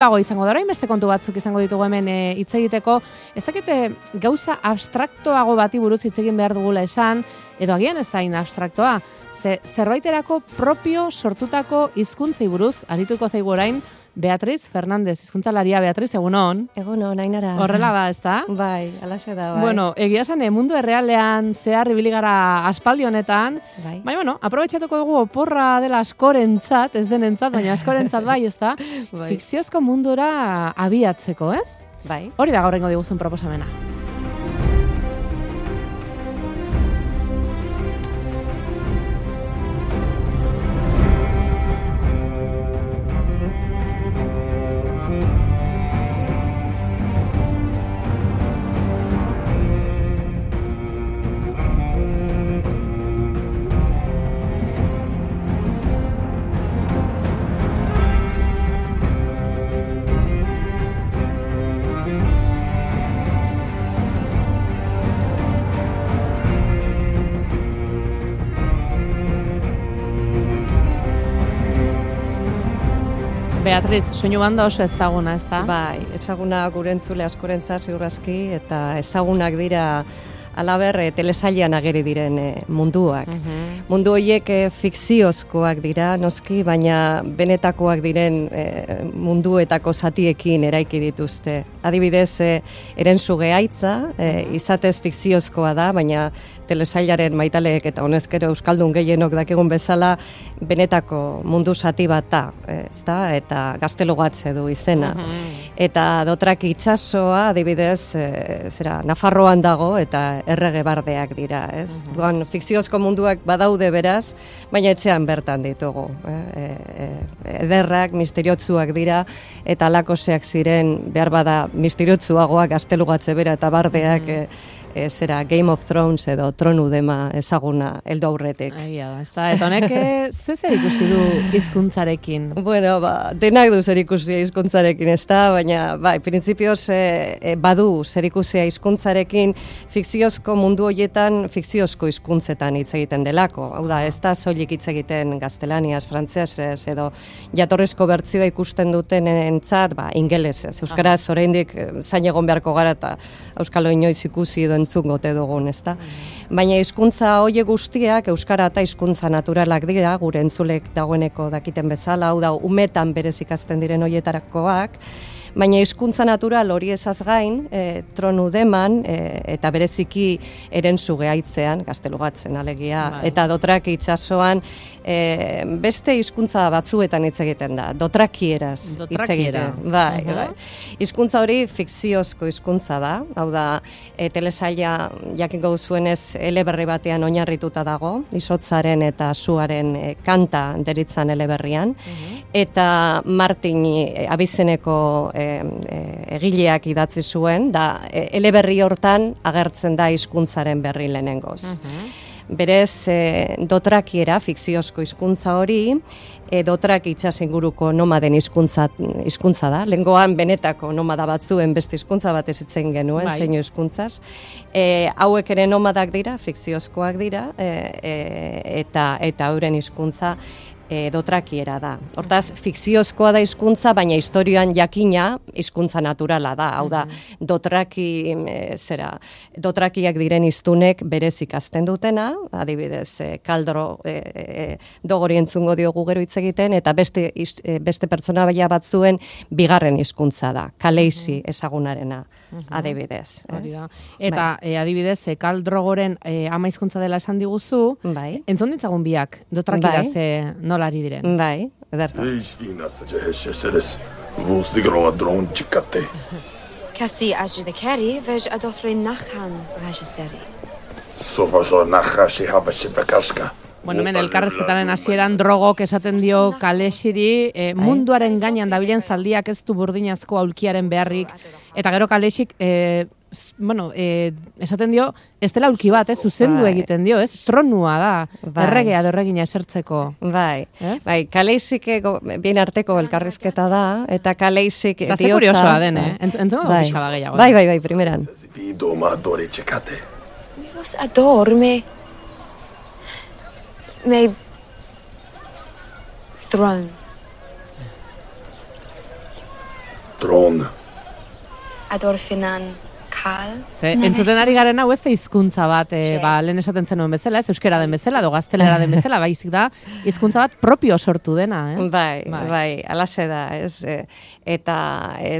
izango da, orain beste kontu batzuk izango ditugu hemen hitz egiteko. Ez dakite gauza abstraktoago bati buruz hitz egin behar dugula esan, edo agian ez da abstraktoa. Zerbaiterako propio sortutako hizkuntzei buruz arituko zaigu orain Beatriz Fernandez, hizkuntzalaria. Beatriz, egunon. Egunon, Ainara. Horrela da, ezta? Bai, alaxe da, bai. Bueno, egia esan, mundu errealean zehar ibili gara aspaldi honetan. Bai. Bueno, aprobetxatuko dugu oporra dela askorentzat, ez denentzat, baina askorentzat bai, ezta? Bai. Fikziozko mundura abiatzeko, ez? Bai. Hori da gaurrengo diguzun proposamena. Beatriz, soinu banda oso ezaguna, ez da? Bai, ezaguna gure entzule askorentzat ziur aski, eta ezagunak dira alaber telesailean ageri diren munduak. Mundu horiek fikziozkoak dira, noski, baina benetakoak diren munduetako zatiekin eraiki dituzte. Adibidez, Erensuge Aitza, izatez fikziozkoa da, baina telesailaren maitaleek eta honezkero euskaldun gehienok dakigun bezala benetako mundu zati bat da, ezta? Eta Gaztelugatze du izena. Eta Dotraki itsasoa, adibidez, Nafarroan dago eta errege bardeak dira, ez? Duan, fikziozko munduak badaude beraz, baina etxean bertan ditugu. Ederrak, misteriotsuak dira, eta alakoseak ziren, behar bada misteriotsuagoak Gaztelugatze bera eta bardeak, Game of Thrones edo Tronu dema ezaguna heldu aurretik. Da, ezta? Eta honek ze zer ikusi du hizkuntzarekin? Bueno, denak du zer ikusi hizkuntzarekin, ezta? Baina, printzipioz badu zer ikusia hizkuntzarekin fikziozko mundu horietan fikziozko hizkuntzetan hitz egiten delako. Hau da, ez da soilik hitz egiten gaztelaniaz, frantsesez edo jatorrizko bertsioa ikusten duten entzat, ingelesez. Euskaraz oraindik zain egon beharko gara eta euskalo inoiz ikusi edo entzun gote dugun, ezta? Baina hizkuntza horiek guztiak euskara eta hizkuntza naturalak dira, gure entzulek dagoeneko dakiten bezala, hau da, umetan berez ikasten diren horietarakoak, baina hizkuntza natural hori ezaz gain, Tronu deman, eta bereziki Erensuge Aitzean, Gaztelugatzen alegia, eta Dotraki itsasoan, beste hizkuntza batzuetan hitz egiten da, dotrakieraz hitz egiten. Bai. Hizkuntza hori fikziozko hizkuntza da, hau da, telesaila jakingo duzuenez eleberri batean oinarrituta dago, izotzaren eta suaren kanta deritzan eleberrian, eta Martin Abizeneko egileak idatzi zuen, da eleberri hortan agertzen da hizkuntzaren berri lehenengoz. Berez, dotrakiera, fikziozko hizkuntza hori, Dotraki itsas inguruko nomaden hizkuntza da. Lehengoan benetako nomada batzuen beste hizkuntza bat ezitzen genuen, zeinu hizkuntzaz. Hauek ere nomadak dira, fikziozkoak dira, eta euren hizkuntza dotrakiera da. Hortaz, fikziozkoa da hizkuntza, baina historioan jakina hizkuntza naturala da. Hau da, dotrakiak diren hiztunek berez ikasten dutena, adibidez, kaldro dogori entzungo diogu gero hitz egiten, eta beste pertsona batzuen bigarren hizkuntza da, kaleixi ezagunarena, adibidez. Eta adibidez, kaldrogoren ama hizkuntza dela esan diguzu, entzun ditzagun biak, dotrakiraz nola ari diren. Bai, ederto. Kasi ajdekeri vej adothri nachan rajaseri. Bueno, hemen elkarrezketaren hasieran drogok esaten dio kalexiri, munduaren gainean dabilen zaldiak ez du burdinazko aulkiaren beharrik, eta gero kalexik esaten dio, ez dela aulki bat, zuzendu egiten dio, tronua da, erregea erregina esertzeko. Bai, kaleixik bien arteko elkarrizketa da, eta kaleixik diotza. Eta ze kuriosoa den, entzongo pixaba gehiago. Bai, primeran. Dios adorme. My throne. Tron. Adorfinan Karl. Entzuten ari garen hau ez da hizkuntza bat, lehen esaten zenuen bezala, ez euskera den bezala, edo gaztelera den bezala, baizik da, hizkuntza bat propio sortu dena, ez? Bai, alaxe da, ez? Eta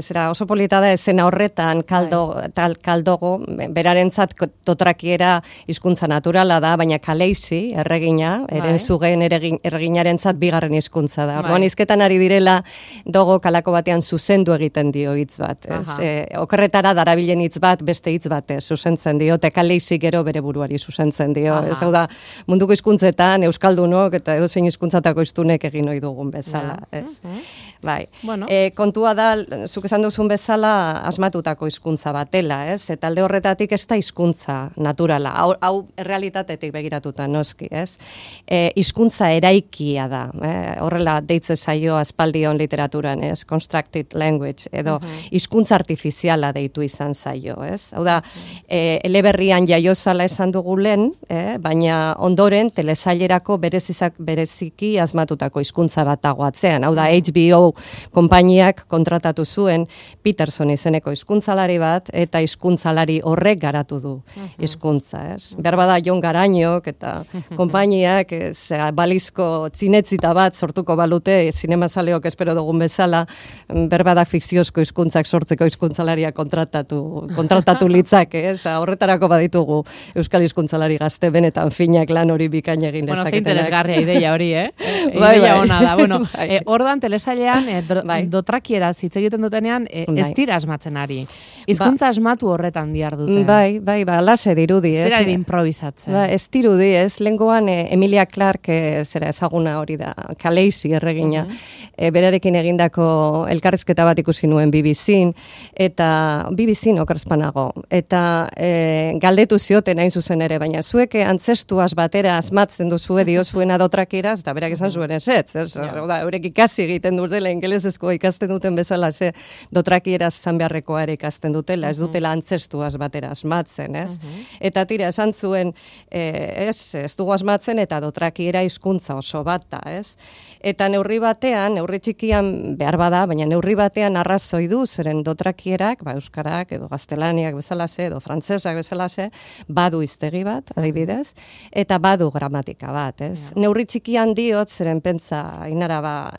zera oso polita da esena horretan kaldogo, berarentzat dotrakiera hizkuntza naturala da, baina Kaleixi, erregina, erenzugen erreginarentzat bigarren hizkuntza da. Orduan hizketan ari direla dogo kalako batean zuzendu egiten dio hitz bat, ez? Okerretara darabilen hitz bat, beste hitz batez zuzentzen dio, eta Kaleixi gero bere buruari zuzentzen dio. Ez hau da, munduko hizkuntzetan, euskaldunok eta edozein hizkuntzatako hiztunek egin ohi dugun bezala, ez? Bai. Kontua da, zuk esan duzun bezala, asmatutako hizkuntza batela, ez? Eta alde horretatik ez da hizkuntza naturala. Hau errealitatetik begiratuta noski, ez? Hizkuntza eraikia da, horrela deitze zaio aspaldion literaturan, ez? Constructed language, edo hizkuntza artifiziala deitu izan zaio, ez? Hau da, eleberrian jaiozala esan dugu lehen, baina ondoren telesailerako bereziki asmatutako hizkuntza bat dago atzean. Hau da, HBO konpainiak kontratatu zuen Peterson izeneko hizkuntzalari bat, eta hizkuntzalari horrek garatu du hizkuntza, ez? Berbada Jon Garañok eta konpainiak balizko zinetzita bat sortuko balute, zinemazaleok espero dugun bezala, berbada fikziozko hizkuntzak sortzeko hizkuntzalaria kontratatu litzake, ez? Horretarako baditugu euskal hizkuntzalari gazte benetan finak lan hori bikain egin dezaketenak. Ze interesgarria ideia hori, Ideia ona da. Bueno, orduan telesailean dotrakieraz hitz egiten dutenean ez dira asmatzen ari. Hizkuntza asmatu horretan dihar dute. Bai, lase dirudi, ez? Ez dira improvisatzen. Ez dirudi, ez? Lengoan Emilia Clarke zera ezaguna hori da, Kaleixi erregina, berarekin egindako elkarrizketa bat ikusi nuen BBC-n, eta BBC-n okerspanago, eta galdetu zioten hain zuzen ere, baina zuek antzestuaz batera asmatzen duzue diozuena dotrakieraz, eta berak esan zuen ez? Eurek ikasi egiten dutela, ingelesezkoa ikasten duten bezala, dotrakieraz izan beharrekoa ere ikasten dutela, ez dutela antzestuaz batera asmatzen, ez? Eta tira, esan zuen, ez dugu asmatzen, eta dotrakiera hizkuntza oso bat da, ez? Eta neurri batean, neurri txikian behar bada, baina neurri batean arrazoi du, zeren dotrakierak, euskarak, edo gaztelaniak bezalase, edo frantsesak bezalase, badu hiztegi bat, adibidez, eta badu gramatika bat, ez? Neurri txikian diot, zeren pentsa, inaraba,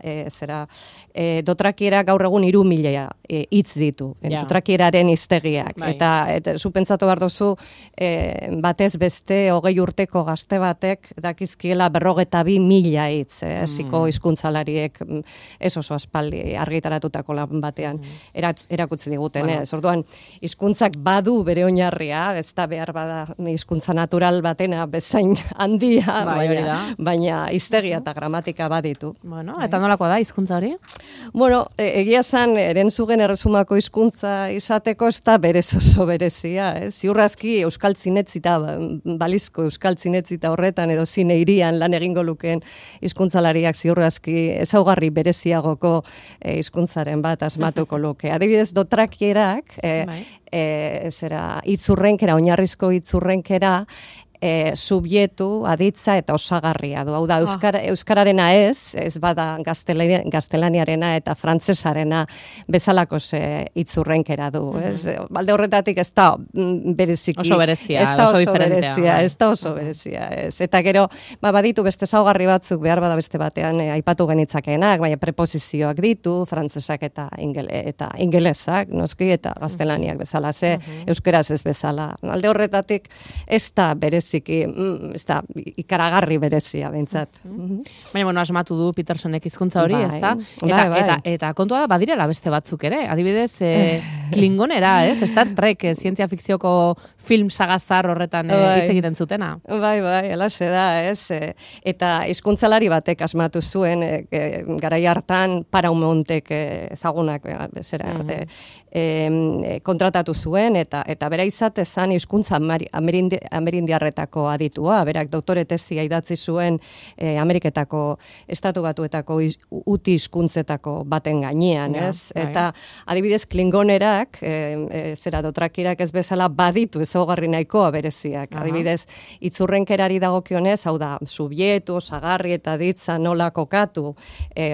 dotrakiera gaur egun 3.000 hitz ditu, dotrakieraren hiztegiak, eta zu pentsatu behar duzu, batez beste 20 urteko gazte batek dakizkiela 42.000 hitz, hasiko hizkuntzalariek ez oso aspaldi argitaratutako lan batean erakutsi diguten, orduan hizkuntzak badu bere oinarria, ez da behar bada hizkuntza natural batena bezain handia, baina hiztegia eta gramatika baditu. Bueno, eta nolakoa da hizkuntza hori? Bueno, egia esan, erentzugen erresumako hizkuntza izateko ez da berez oso berezia, ziurrazki euskal zinetzita, balizko euskal zinetzita horretan, edo zine irian lan egingo lukeen hizkuntzalariak ziurrazki ezaugarri bereziagoko hizkuntzaren bat asmatuko luke. Adibidez, dotrakierak, itzurrenkera, oinarrizko itzurrenkera, subjektu, aditza eta osagarria du. Hau da, euskararena ez bada gaztelaniarena eta frantsesarena bezalako itzurrenkera du. Balde horretatik ez da bereziki. Oso berezia, oso diferentea. Ez da oso berezia. Eta gero, baditu beste ezaugarri batzuk behar bada beste batean aipatu genitzakenak, baina preposizioak ditu, frantsesak eta ingelesak, noski, eta gaztelaniak bezala, euskeraz ez bezala. Alde horretatik ez da bereziki, ez da ikaragarri berezia, behintzat. Baina, asmatu du Petersonek hizkuntza hori, ez da? Eta kontua da, badirela beste batzuk ere. Adibidez, Klingonera, Star Trek, zientzia fikzioko film sagazar horretan hitz egiten zutena. Bai, alaxe da, Eta hizkuntzalari batek asmatu zuen, garai hartan Paramountem ezagunak kontratatu zuen, eta bera izatezan hizkuntza amerindiarretako aditua, berak doktore tesia idatzi zuen Ameriketako Estatu Batuetako uti hizkuntzetako baten gainean, Eta adibidez Klingonerak dotrakirak, dotrakirak ez bezala baditu ezaugarri nahikoa bereziak. Adibidez, itzurrenkerari dagokionez, hau da, subjektu, osagarri eta aditza nola kokatu,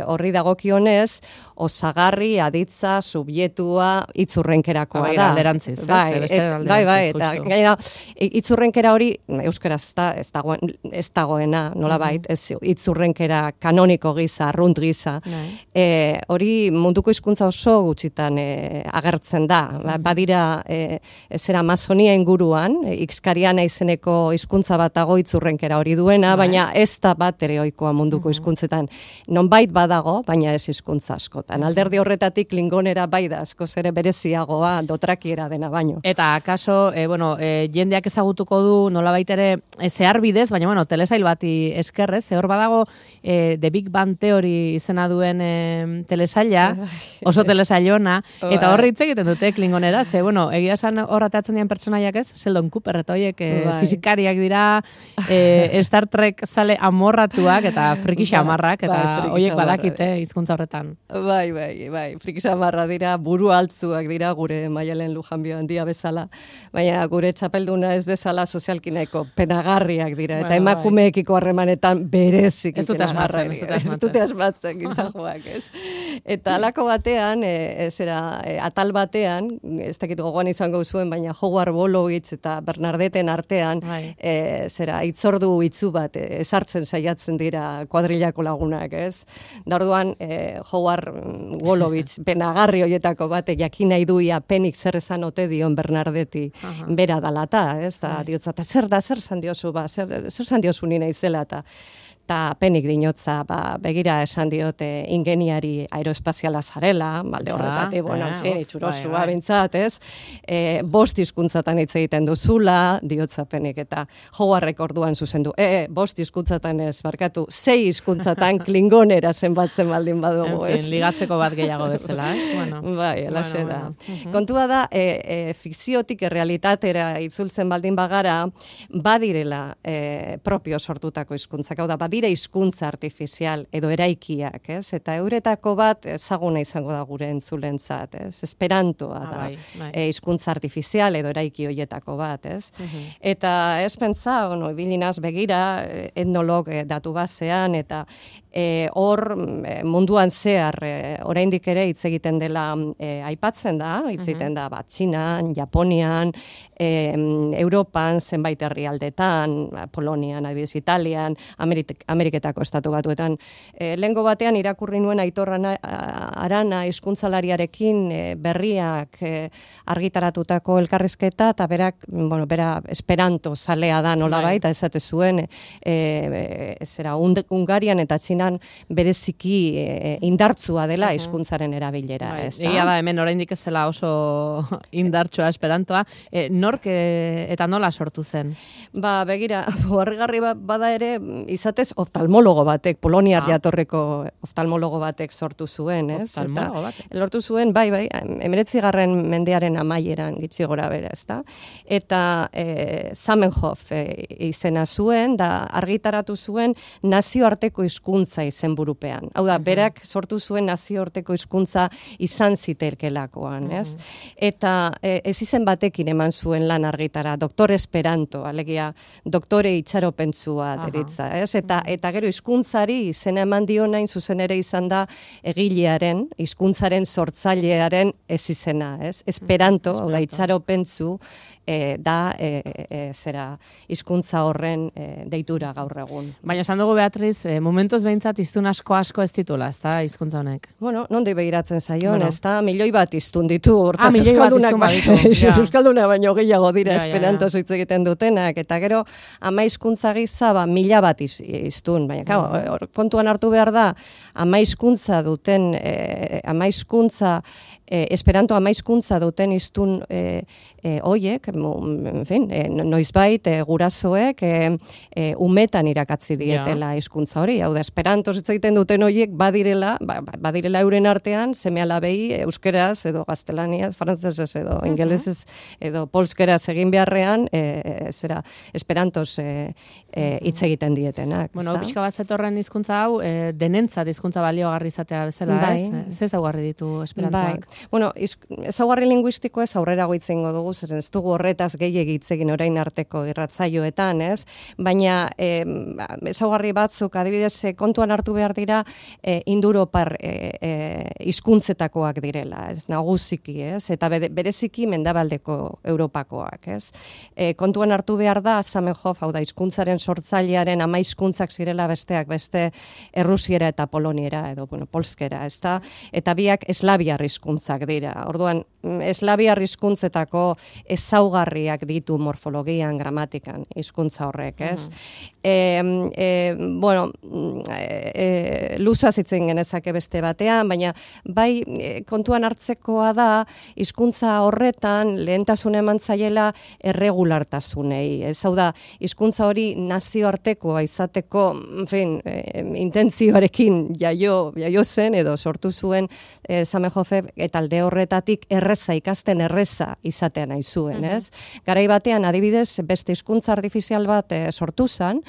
horri dagokionez, osagarri, aditza, subjektua, itzurrenkerakoa da. Alderantziz, eta gainera, itzurrenkera hori, euskaraz ez dagoena, nolabait, itzurrenkera kanoniko giza, arrunt giza, hori munduko hizkuntza oso gutxitan agertzen da. Badira, zera Amazonia inguruan, Ixkariana izeneko hizkuntza bat dago itzurrenkera hori duena, baina ez da bat ere ohikoa munduko hizkuntzetan. Nonbait badago, baina ez hizkuntza askotan. Alderdi horretatik klingonera bai da, askoz ere bereziagoa dotrakiera dena baino. Eta akaso, jendeak ezagutuko du nolabait ere zehar bidez, baina telesail bati eskerrez, hor badago The Big Bang Theory izena duen telesaila, oso telesailona, eta horri hitz egiten dute klingonera, ze, egia esan hor atatzen dian pertsonaiak ez, Sheldon Cooper, eta horiek fizikariak dira, Star Trek zale amorratuak, eta friki xamarrak, eta horiek badakite hizkuntza horretan. Bai, friki xamarra dira, buru altzuak dira, gure Maialen Lujanbio handia bezala, baina gure txapelduna ez bezala sozialki nahiko penagarriak dira, eta emakumeekiko harremanetan berezik penagarrak. Ez dute asmatzen gizajoak, ez? Eta alako batean, atal batean, ez dakit gogoan izango zuen, baina Howard Wolowitz eta Bernadette artean, itzordu itzu bat, ezartzen saiatzen dira kuadrilako lagunak, ez? Da orduan, Howard Wolowitz, penagarri hoietako bat, jakin nahi duia penik zer esan ote dion Bernadette bera dalata, ez? Da, diotzat, zer esan diozu, zer esan diozu nina izela, eta penik dinotza, begira esan diote ingeniari aeroespaziala zarela, balde horretatik, itxurosua bintzat, ez? 5 hizkuntzatan hitz egiten duzula, diotza penik, eta Howardrek orduan zuzendu, 5 hizkuntzatan ez, barkatu, 6 hizkuntzatan klingonera zenbatzen baldin badugu, ez? Ligatzeko bat gehiago bezala, ez? Bai, alaxe da. Kontua da, fikziotik errealitatera itzultzen baldin bagara, badirela propio sortutako hizkuntzak, hau da, badira hizkuntza artifizial edo eraikiak, ez? Eta euretako bat ezaguna izango da gure entzulentzat, ez? Esperantoa da. Hizkuntza artifizial edo eraiki hoietako bat, ez? Eta ez pentsa, ibilinaz begira, etnolog datu basean, eta hor munduan zehar oraindik ere hitz egiten dela aipatzen da, hitz egiten da Txinan, Japonian, Europan, zenbait herrialdetan, Polonian, adibidez Italian, Ameriketako estatu batuetan. Lehengo batean irakurri nuen Aitor Arana hizkuntzalariarekin berriak argitaratutako elkarrizketa, eta bera Esperanto zalea da nolabait, eta esate zuen Hungarian eta Txinan bereziki indartsua dela hizkuntzaren erabilera. Egia da, hemen oraindik ez dela oso indartsua Esperantoa. Nork eta nola sortu zen? Begira, harrigarri bada ere, izatez oftalmologo batek, Poloniar jatorreko oftalmologo batek sortu zuen, ez? Oftalmologo batek? Lortu zuen, 19. mendearen amaieran gitxi gora bera, ezta? Eta Zamenhof izena zuen, da argitaratu zuen nazioarteko hizkuntza izenburupean. Hau da, berak sortu zuen nazioarteko hizkuntza izan ziterkelakoan, ez? Eta ez izen batekin eman zuen lan argitara, Doktor Esperanto, alegia doktore itxaropentzua deritza, ez? Eta gero hizkuntzari izena eman dio nain zuzen ere izan da egilearen, hizkuntzaren sortzailearen ez izena, ez? Esperanto, hau da, itxaropentzu da hizkuntza horren deitura gaur egun. Baina esan dugu, Beatriz, momentuz behintzat hiztun asko ez ditula, ez da, hizkuntza honek? Nondi begiratzen zaion, ez da, milioi bat hiztun ditu, hortaz euskalduna baino gehiago dira Esperanto hitz egiten dutenak, eta gero ama hizkuntza gisa 1000 bat hiztun, baina kontuan hartu behar da, ama hizkuntza duten, Esperanto ama hizkuntza duten hiztun hoiek, noizbait gurasoek umetan irakatzi dietela hizkuntza hori, hau da Esperanto hitz egiten duten hoiek badirela euren artean seme-alabei euskeraz edo gaztelaniaz, frantsesez edo ingelesez edo polskeraz egin beharrean Esperantoz hitz egiten dietenak. Bueno, pixka bat zetorren hizkuntza hau, denentzat hizkuntza baliogarri izatea bezala, ez? Ze ezaugarri ditu esperantoak? Bueno, ezaugarri linguistiko ez aurrerago hitz egingo dugu, zeren ez dugu horretaz gehiegi hitz egin orain arteko irratsaioetan, ez? Baina ezaugarri batzuk adibidez kontuan hartu behar dira indoeuropar hizkuntzetakoak direla, ez? Nagusiki, ez? Eta bereziki mendebaldeko Europakoak, ez? Kontuan hartu behar da Zamenhof, hau da hizkuntzaren sortzailearen 10 hizkuntzak zirela besteak beste errusiera eta poloniera edo polskera, ezta? Eta biak eslaviar hizkuntzak dira. Orduan, eslaviar hizkuntzetako ezaugarriak ditu morfologian, gramatikan hizkuntza horrek, ez? Luzaz hitzen genezake beste batean, baina bai kontuan hartzekoa da hizkuntza horretan lehentasuna eman zaiela erregulartasunei. Ez hau da, hizkuntza hori nazioartekoa izateko, intentzioarekin jaio zen edo sortu zuen Zamenhofek eta alde horretatik erreza ikasten erreza izatea nahi zuen, ez? Garai batean adibidez beste hizkuntza artifizial bat sortu zen,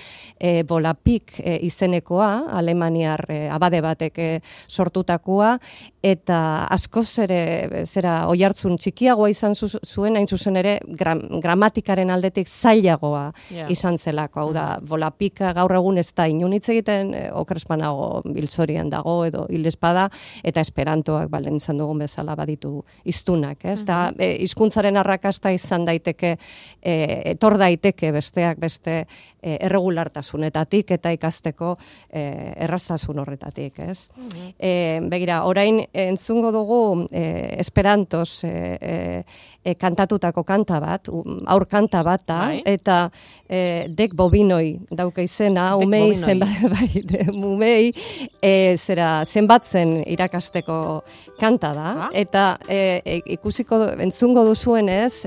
Volapük izenekoa, alemaniar abade batek sortutakoa, eta askoz ere oihartzun txikiagoa izan zuen, hain zuzen ere gramatikaren aldetik zailagoa izan zelako. Hau da, Volapük gaur egun ez da inun hitz egiten, okrespanago hiltzorian dago edo hildespada, eta esperantoak balen izan dugun bezala baditu hiztunak, ez? Da, hizkuntzaren arrakasta izan daiteke, etor daiteke besteak beste erregulartasunetatik eta ikasteko erraztasun horretatik, ez? Begira, orain entzungo dugu esperantoz kantatutako kanta bat, aur kanta bat da, eta dek bobinoi dauka izena, umei zenbatzen irakasteko kanta da, eta entzungo duzuenez,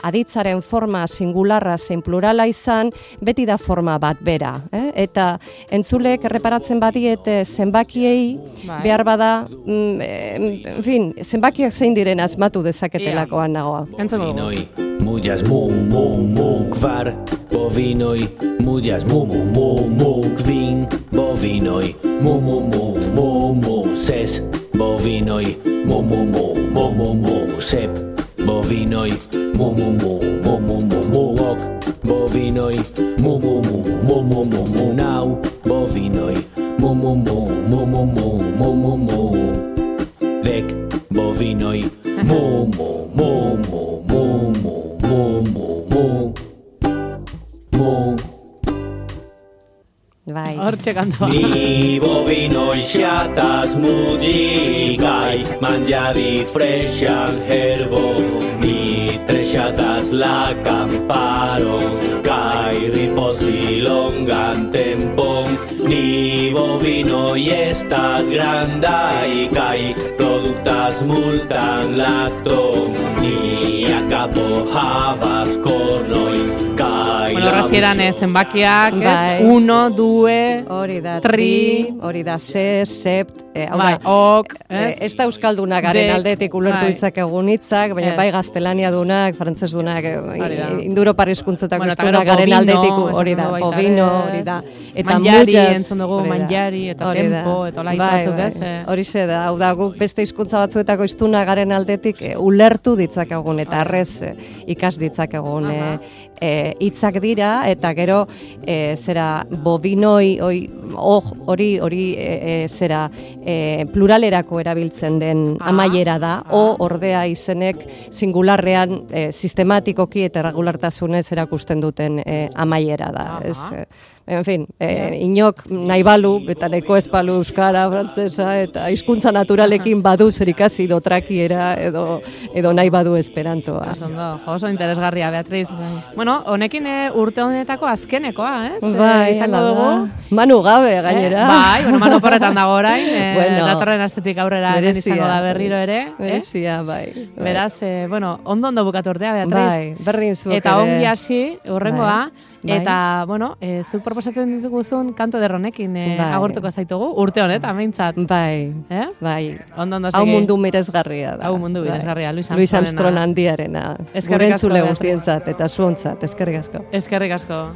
aditzaren forma singularra zein plurala izan, beti da forma bat bera. Eta entzulek erreparatzen badiete zenbakiei, behar bada, zenbakiak zein diren asmatu dezaketelakoan nagoa. Bovinoi, mujas mu mu mu kvar, bovinoi, mujas mu mu mu mu kvin, bovinoi, mu mu mu mu mu ses, bovinoi, mu mu mu mu mu mu sep, bovinoi, mu mu mu mu mu mu mu ok, bovinoi, mu mu mu mu mu mu mu nau, bovinoi, mu mu mu mu mu mu mu mu mu dek, bovinoi, mu mu mu mu mu mu mu mu mu. Bai. Hortxe kantua. Ni bovinoi xiatas mugigai, mangiadi freshan herbo, ni tresciatas la camparo, kai riposi longan tempon, ni bovinoi estas grandai, kai productas multan lacton, ni a capo havas cornoi, kai rasieran zenbakiak, ez? 1, 2, hori da, 3, hori da, sept, ok, ez da euskalduna garen aldetik ulertu ditzakegun hitzak, baina bai gaztelania dunak, frantses dunak, indoeuropar hizkuntzetako hiztunak garen aldetik, hori da, bovino, hori da, eta manjari, entzun dugu, manjari, eta tempo, eta hola hitzatzuk, ez? Horixe da, hau da, guk beste hizkuntza batzuetako hiztunak garen aldetik ulertu ditzakegun, eta arrez ikas ditzakegun hitzak dira, eta gero bovinoi hori pluralerako erabiltzen den amaiera da, ordea izenek singularrean sistematikoki eta regulartasunez erakusten duten amaiera da. En fin, inok nahi balu, eta nahiko ez balu euskara, frantzesa, eta hizkuntza naturalekin badu zerikasi dotrakiera edo nahi badu esperantoa. Oso interesgarria, Beatriz. Bueno, honekin urte honetako azkenekoa, ez? Bai, hala da. Manu gabe, gainera. Bai, Manu porretan dago orain, datorren astetik aurrera izango da berriro ere. Berezia, bai. Beraz, ondo bukatu urtea, Beatriz. Bai, berdin zuek ere. Eta ongi hasi, urrengoa. Eta, zuk proposatzen dituguzun kanto derronekin agurtuko zaitugu, urte honetan, behintzat. Bai, bai. Ondo segi. Hau mundu miresgarria da. Hau mundu miresgarria, Luis Armstrong handiarena. Gurentzule guztientzat eta zuontzat, eskerrik asko. Eskerrik asko.